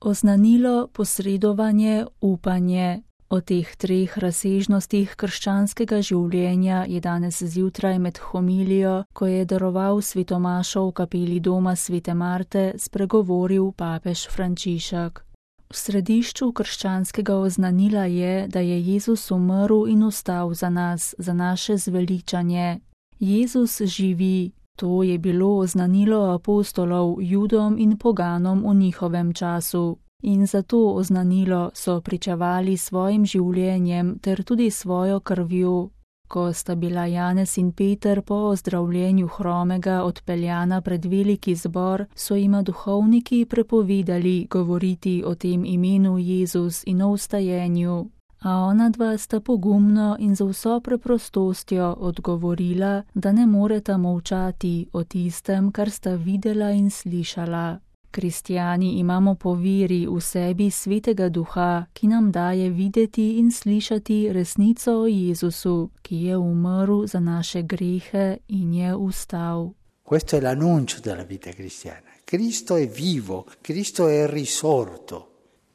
Oznanilo, posredovanje, upanje. O teh treh razsežnostih krščanskega življenja je danes zjutraj med homilijo, ko je daroval svetomašo v kapeli doma svete Marte, spregovoril papež Frančišek. V središču krščanskega oznanila je, da je Jezus umrl in vstal za nas, za naše zveličanje. Jezus živi. To je bilo oznanilo apostolov Judom in poganom v njihovem času. In zato oznanilo so pričevali svojim življenjem ter tudi svojo krvjo. Ko sta bila Janez in Peter po ozdravljenju hromega odpeljana pred veliki zbor, so jima duhovniki prepovedali govoriti o tem imenu Jezus in o vstajenju. A onadva sta pogumno in z vso preprostostjo odgovorila, da ne moreta molčati o tistem, kar sta videla in slišala. Kristjani imamo po veri v sebi Svetega Duha, ki nam daje videti in slišati resnico o Jezusu, ki je umrl za naše grehe in je vstal. Questo è l'annuncio della vita cristiana. Cristo è vivo, Cristo è risorto,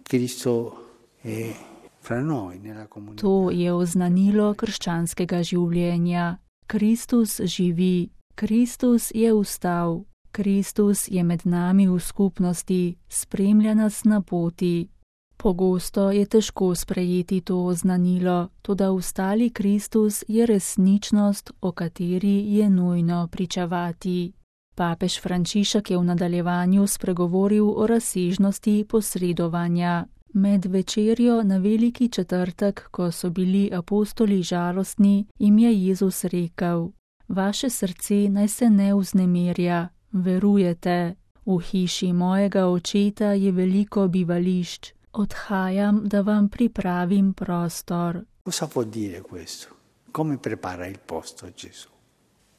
Cristo è fra noi nella comunità. To je oznanilo krščanskega življenja. Kristus živi, Kristus je vstal. Kristus je med nami v skupnosti, spremlja nas na poti. Pogosto je težko sprejeti to oznanilo, toda vstali Kristus je resničnost, o kateri je nujno pričevati. Papež Frančišek je v nadaljevanju spregovoril o razsežnosti posredovanja. Med večerjo na veliki četrtek, ko so bili apostoli žalostni, jim je Jezus rekel: Vaše srce naj se ne vznemirja. Verujete, v hiši mojega očeta je veliko bivališč. Odhajam, da vam pripravim prostor. Cosa vuol dire questo? Come prepara il posto Gesù?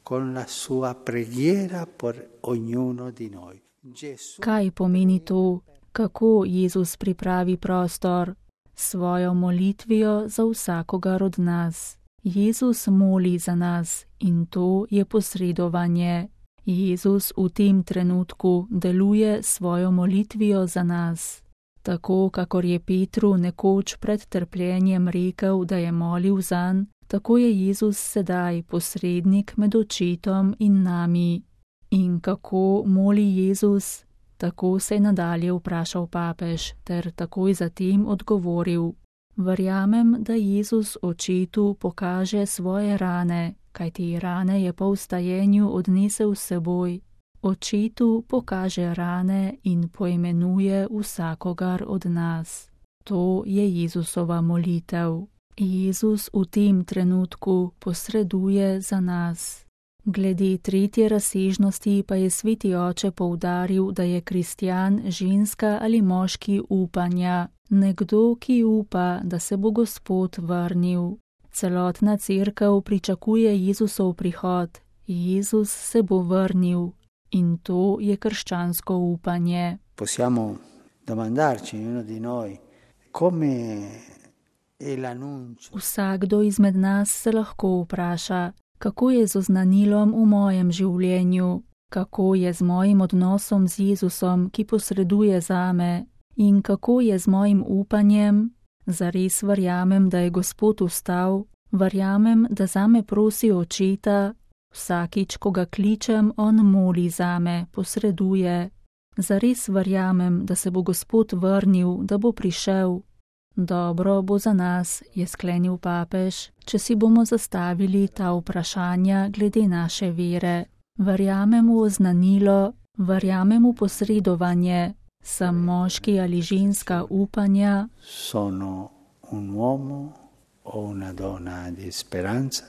Con la sua preghiera per ognuno di noi. Kaj pomeni to? Kako Jezus pripravi prostor? Svojo molitvijo za vsakogar od nas. Jezus moli za nas in to je posredovanje. Jezus v tem trenutku deluje svojo molitvijo za nas. Tako, kakor je Petru nekoč pred trpljenjem rekel, da je molil zanj, tako je Jezus sedaj posrednik med očetom in nami. In kako moli Jezus? Tako se je nadalje vprašal papež, ter takoj zatem odgovoril: Verjamem, da Jezus očetu pokaže svoje rane, kajti rane je po vstajenju odnesel s seboj. Očetu pokaže rane in poimenuje vsakogar od nas. To je Jezusova molitev. Jezus v tem trenutku posreduje za nas. Glede tretje razsežnosti pa je Sveti Oče poudaril, da je kristjan ženska ali moški upanja, nekdo, ki upa, da se bo Gospod vrnil. Celotna cerkev pričakuje Jezusov prihod. Jezus se bo vrnil in to je krščansko upanje. Possiamo domandarci ognuno di noi come è l'annuncio. Vsakdo izmed nas se lahko vpraša, kako je z oznanilom v mojem življenju, kako je z mojim odnosom z Jezusom, ki posreduje zame, in kako je z mojim upanjem. Zares verjamem, da je Gospod vstal, verjamem, da zame prosi očeta, vsakič, ko ga kličem, on moli zame, posreduje. Zares verjamem, da se bo Gospod vrnil, da bo prišel. Dobro bo za nas, je sklenil papež, če si bomo zastavili ta vprašanja glede naše vere. Verjamem v oznanilo, verjamem v posredovanje, sem moški ali ženska upanja. Sono un uomo o una donna di speranza.